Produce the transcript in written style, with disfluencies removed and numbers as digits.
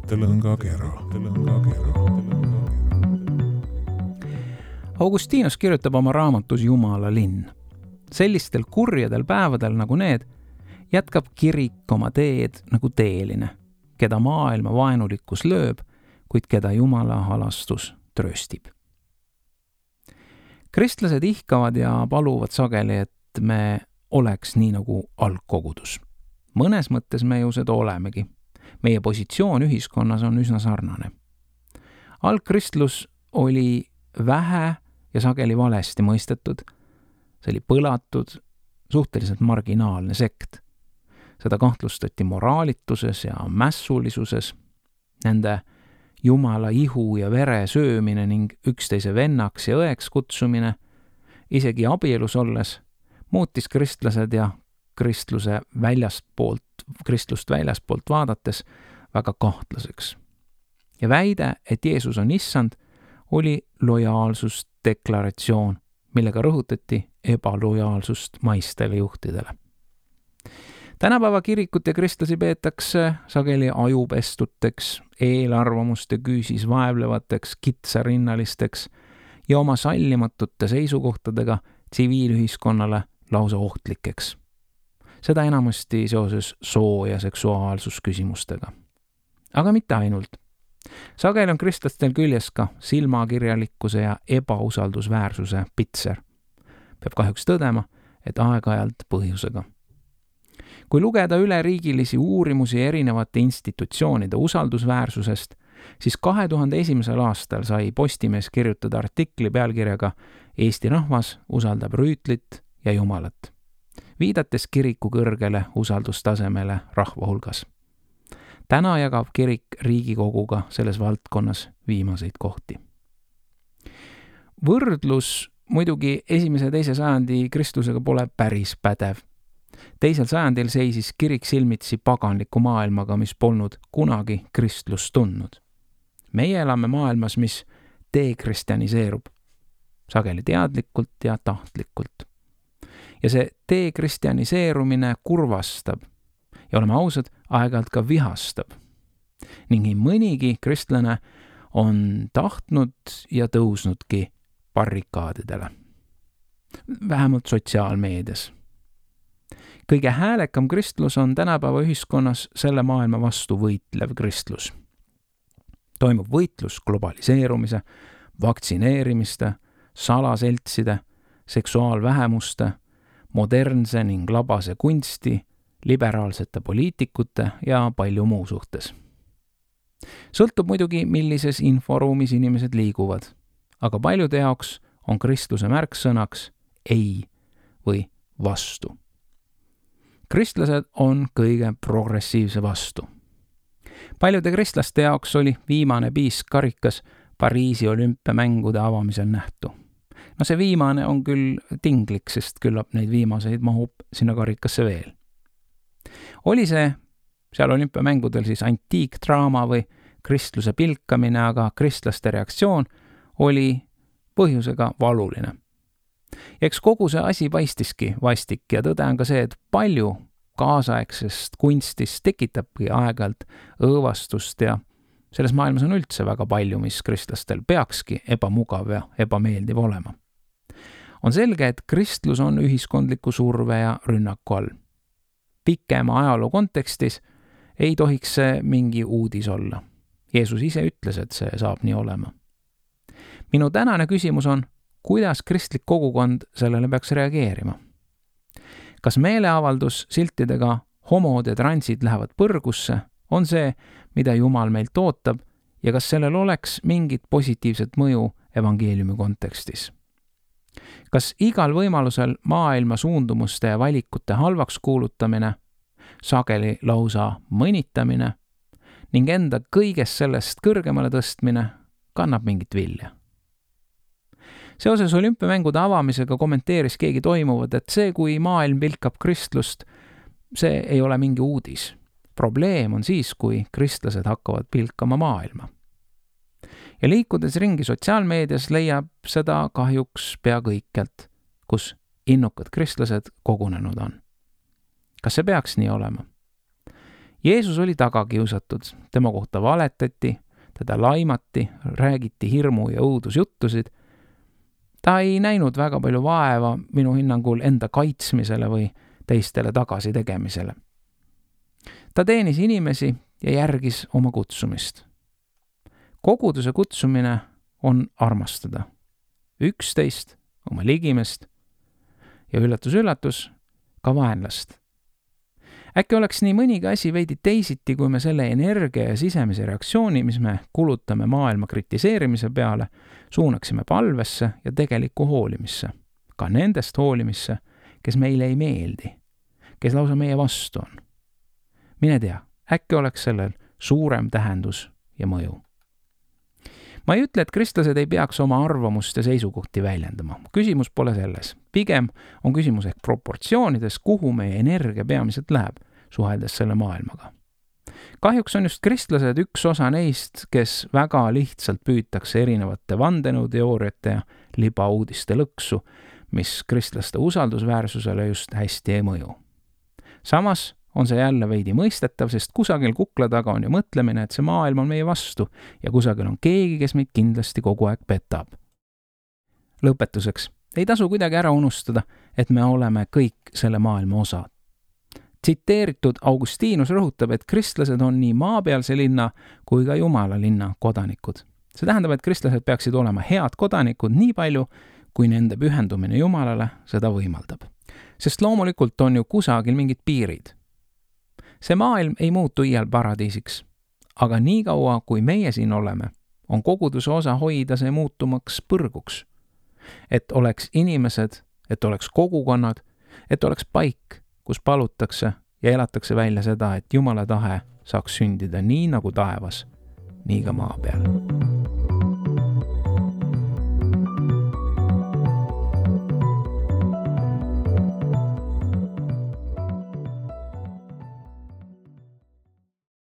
mõttelõngakera. Augustinus kirjutab oma raamatus Jumala linn. Sellistel kurjadel päevadel nagu need jätkab kirik oma teed nagu teeline, keda maailma vaenulikkus lööb, kuid keda Jumala halastus trööstib. Kristlased ihkavad ja paluvad sageli, et me oleks nii nagu algkogudus. Mõnes mõttes me ju seda olemegi. Meie positsioon ühiskonnas on üsna sarnane. Algkristlus oli vähe ja sageli valesti mõistetud. See oli põlatud, suhteliselt marginaalne sekt. Seda kahtlustati moraalituses ja mässulisuses. Nende Jumala ihu ja vere söömine ning üksteise vennaks ja õeks kutsumine, isegi abielus olles, muutis kristlased ja kristlust väljaspoolt vaadates väga kahtlaseks. Ja väide, et Jeesus on issand, oli lojaalsusdeklaratsioon, millega rõhutati ebalojaalsust maistele juhtidele. Tänapäeva kirikut ja kristlasi peetakse sageli ajupestuteks, eelarvamuste küüsis vaevlevateks, kitsarinnalisteks ja oma sallimatute seisukohtadega tsiviilühiskonnale lausa ohtlikeks. Seda enamasti seoses soo- ja seksuaalsusküsimustega. Aga mitte ainult. Sageli on kristlastel küljes ka silmakirjalikkuse ja ebausaldusväärsuse pitser. Peab kahjuks tõdema, et aeg-ajalt põhjusega. Kui lugeda üleriigilisi uurimusi erinevate institutsioonide usaldusväärsusest, siis 2001. aastal sai Postimees kirjutada artikli pealkirjaga Eesti rahvas usaldab Rüütlit ja Jumalat, viidates kiriku kõrgele usaldustasemele rahva hulgas. Täna jagab kirik Riigikoguga selles valdkonnas viimaseid kohti. Võrdlus muidugi 1. ja 2. sajandi kristlusega pole päris pädev. 2. sajandil seisis kirik silmitsi paganliku maailmaga, mis polnud kunagi kristlust tundnud. Meie elame maailmas, mis dekristjaniseerub, sageli teadlikult ja tahtlikult. Ja see dekristjaniseerumine kurvastab ja oleme ausad, aeg-ajalt ka vihastab. Ning nii mõnigi kristlane on tahtnud ja tõusnudki barrikaadidele. Vähemalt sotsiaalmeedias. Kõige häälekam kristlus on tänapäeva ühiskonnas selle maailma vastu võitlev kristlus. Toimub võitlus globaliseerumise, vaktsineerimiste, salaseltside, seksuaalvähemuste, modernse ning labase kunsti, liberaalsete poliitikute ja palju muu suhtes. Sõltub muidugi, millises inforuumis inimesed liiguvad, aga paljude jaoks on kristluse märksõnaks ei või vastu. Kristlased on kõige progressiivse vastu. Paljude kristlaste jaoks oli viimane piiskarikas Pariisi olümpiamängude avamisel nähtu. No see viimane on küll tinglik, sest küllap neid viimaseid mahub sinna karikasse veel. Oli see seal olümpiamängudel siis antiikdraama või kristluse pilkamine, aga kristlaste reaktsioon oli põhjusega valuline. Ja eks kogu see asi paistiski vastik ja tõde on ka see, et palju kaasaegsest kunstist tekitabki aeg-ajalt õõvastust ja selles maailmas on üldse väga palju, mis kristlastel peakski ebamugav ja ebameeldiv olema. On selge, et kristlus on ühiskondliku surve ja rünnaku all. Pikema ajaloo kontekstis ei tohiks see mingi uudis olla. Jeesus ise ütles, et see saab nii olema. Minu tänane küsimus on, kuidas kristlik kogukond sellele peaks reageerima? Kas meeleavaldus siltidega homod ja transid lähevad põrgusse on see, mida Jumal meilt ootab ja kas sellel oleks mingit positiivset mõju evangeeliumi kontekstis? Kas igal võimalusel maailma suundumuste ja valikute halvaks kuulutamine, sageli lausa mõnitamine ning enda kõigest sellest kõrgemale tõstmine kannab mingit vilja? Seoses olümpiamängude avamisega kommenteeris keegi toimuvat, et see, kui maailm pilkab kristlust, see ei ole mingi uudis. Probleem on siis, kui kristlased hakkavad pilkama maailma. Ja liikudes ringi sotsiaalmeedias leiab seda kahjuks pea kõikjalt, kus innukad kristlased kogunenud on. Kas see peaks nii olema? Jeesus oli taga kiusatud, tema kohta valetati, teda laimati, räägiti hirmu ja õudusjuttusid. Ta ei näinud väga palju vaeva minu hinnangul enda kaitsmisele või teistele tagasi tegemisele. Ta teenis inimesi ja järgis oma kutsumist. Koguduse kutsumine on armastada üksteist, oma ligimest ja üllatus, ka vaenlast. Äkki oleks nii mõnigi asi veidi teisiti, kui me selle energia ja sisemise reaktsiooni, mis me kulutame maailma kritiseerimise peale, suunaksime palvesse ja tegelikku hoolimisse. Ka nendest hoolimisse, kes meile ei meeldi, kes lausa meie vastu on. Mine tea, äkki oleks sellel suurem tähendus ja mõju. Ma ei ütle, et kristlased ei peaks oma arvamust ja seisukohti väljendama. Küsimus pole selles. Pigem on küsimus ehk proportsioonides, kuhu meie energia peamiselt läheb, suheldes selle maailmaga. Kahjuks on just kristlased üks osa neist, kes väga lihtsalt püütakse erinevate vandenõuteooriate ja libauudiste lõksu, mis kristlaste usaldusväärsusele just hästi ei mõju. Samas on see jälle veidi mõistetav, sest kusagil kukla taga on ju mõtlemine, et see maailm on meie vastu ja kusagil on keegi, kes meid kindlasti kogu aeg petab. Lõpetuseks, ei tasu kuidagi ära unustada, et me oleme kõik selle maailma osad. Tsiteeritud Augustinus rõhutab, et kristlased on nii maapealse linna kui ka Jumala linna kodanikud. See tähendab, et kristlased peaksid olema head kodanikud nii palju, kui nende pühendumine Jumalale seda võimaldab. Sest loomulikult on ju kusagil mingid piirid. See maailm ei muutu iial paradiisiks, aga nii kaua, kui meie siin oleme, on koguduse osa hoida see muutumaks põrguks. Et oleks inimesed, et oleks kogukonnad, et oleks paik, kus palutakse ja elatakse välja seda, et Jumala tahe saaks sündida nii nagu taevas, nii ka maa peal.